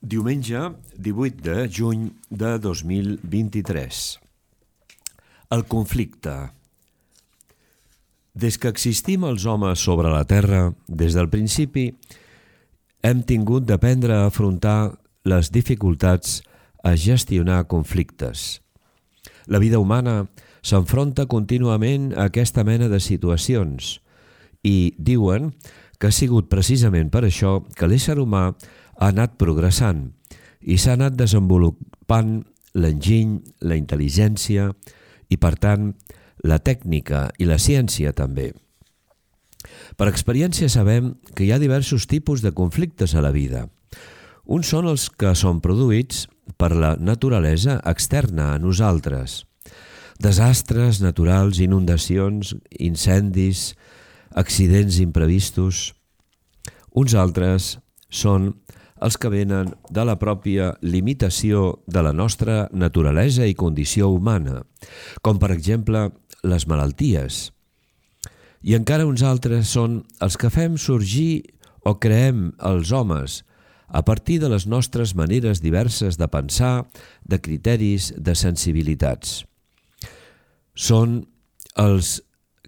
Diumenge 18 de juny de 2023. El conflicte. Des que existim els homes sobre la Terra, des del principi, hem tingut d'aprendre a afrontar les dificultats, a gestionar conflictes. La vida humana s'enfronta contínuament a aquesta mena de situacions i diuen que ha sigut precisament per això que l'ésser humà ha anat progressant i s'ha anat desenvolupant l'enginy, la intel·ligència i, per tant, la tècnica i la ciència també. Per experiència sabem que hi ha diversos tipus de conflictes a la vida. Uns són els que són produïts per la naturalesa externa a nosaltres. Desastres naturals, inundacions, incendis, accidents imprevistos. Uns altres són els que venen de la pròpia limitació de la nostra naturalesa i condició humana, com per exemple les malalties. I encara uns altres són els que fem sorgir o creem els homes a partir de les nostres maneres diverses de pensar, de criteris, de sensibilitats. Són els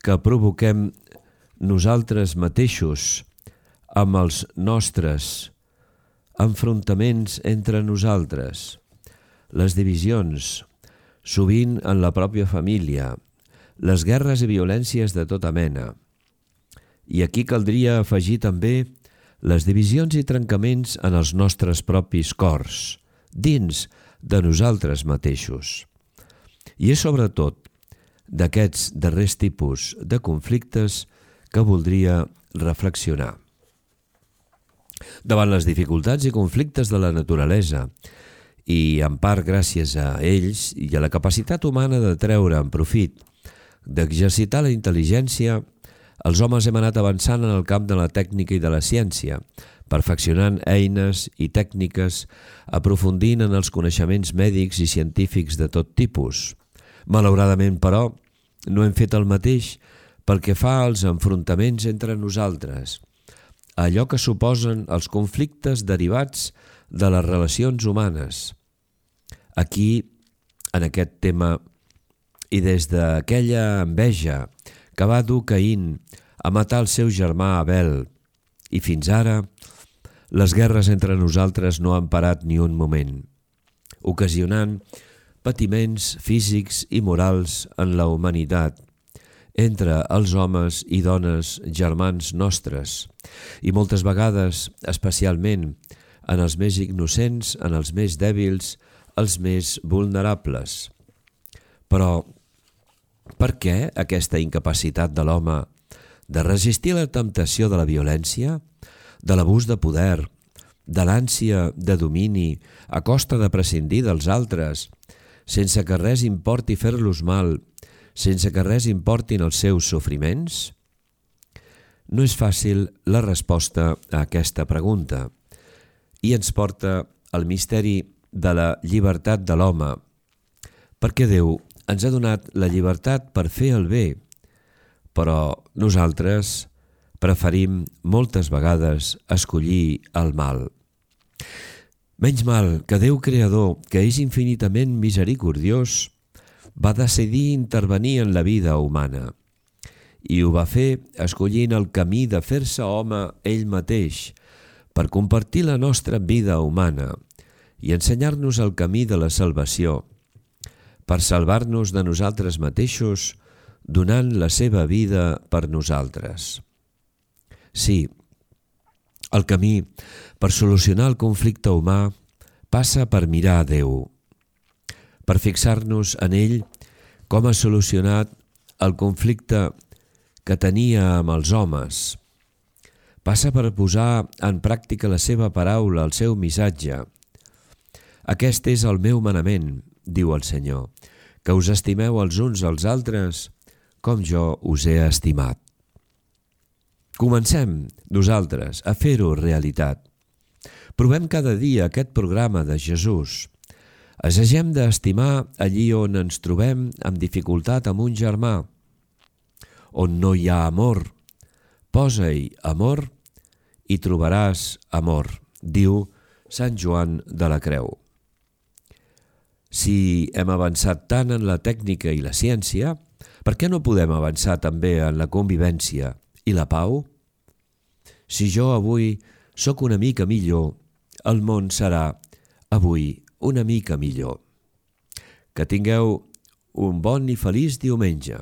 que provoquem nosaltres mateixos amb els nostres enfrontaments entre nosaltres, les divisions, sovint en la pròpia família, les guerres i violències de tota mena. I aquí caldria afegir també les divisions i trencaments en els nostres propis cors, dins de nosaltres mateixos. I és sobretot d'aquests darrers tipus de conflictes que voldria reflexionar. Davant les dificultats i conflictes de la naturalesa, i en part gràcies a ells i a la capacitat humana de treure en profit, d'exercitar la intel·ligència, els homes hem anat avançant en el camp de la tècnica i de la ciència, perfeccionant eines i tècniques, aprofundint en els coneixements mèdics i científics de tot tipus. Malauradament, però, no hem fet el mateix pel que fa als enfrontaments entre nosaltres, allò que suposen els conflictes derivats de les relacions humanes. Aquí, en aquest tema, i des d'aquella enveja que va dur Caín a matar el seu germà Abel, i fins ara, les guerres entre nosaltres no han parat ni un moment, ocasionant patiments físics i morals en la humanitat, entre els homes i dones germans nostres, i moltes vegades, especialment, en els més innocents, en els més dèbils, els més vulnerables. Però, per què aquesta incapacitat de l'home de resistir la temptació de la violència, de l'abús de poder, de l'ànsia de domini a costa de prescindir dels altres, sense que res importi fer-los mal, sense que res importin els seus sofriments? No és fàcil la resposta a aquesta pregunta i ens porta al misteri de la llibertat de l'home, perquè Déu ens ha donat la llibertat per fer el bé, però nosaltres preferim moltes vegades escollir el mal. Menys mal que Déu Creador, que és infinitament misericordiós, va decidir intervenir en la vida humana i ho va fer escollint el camí de fer-se home ell mateix per compartir la nostra vida humana i ensenyar-nos el camí de la salvació, per salvar-nos de nosaltres mateixos donant la seva vida per nosaltres. Sí, el camí per solucionar el conflicte humà passa per mirar a Déu, per fixar-nos en ell com ha solucionat el conflicte que tenia amb els homes. Passa per posar en pràctica la seva paraula, el seu missatge. Aquest és el meu manament, diu el Senyor, que us estimeu els uns als altres com jo us he estimat. Comencem nosaltres a fer-ho realitat. Provem cada dia aquest programa de Jesús. Assagem d'estimar allí on ens trobem amb dificultat amb un germà. On no hi ha amor, posa-hi amor i trobaràs amor, diu Sant Joan de la Creu. Si hem avançat tant en la tècnica i la ciència, per què no podem avançar també en la convivència i la pau? Si jo avui sóc una mica millor, el món serà avui una mica millor. Que tingueu un bon i feliç diumenge.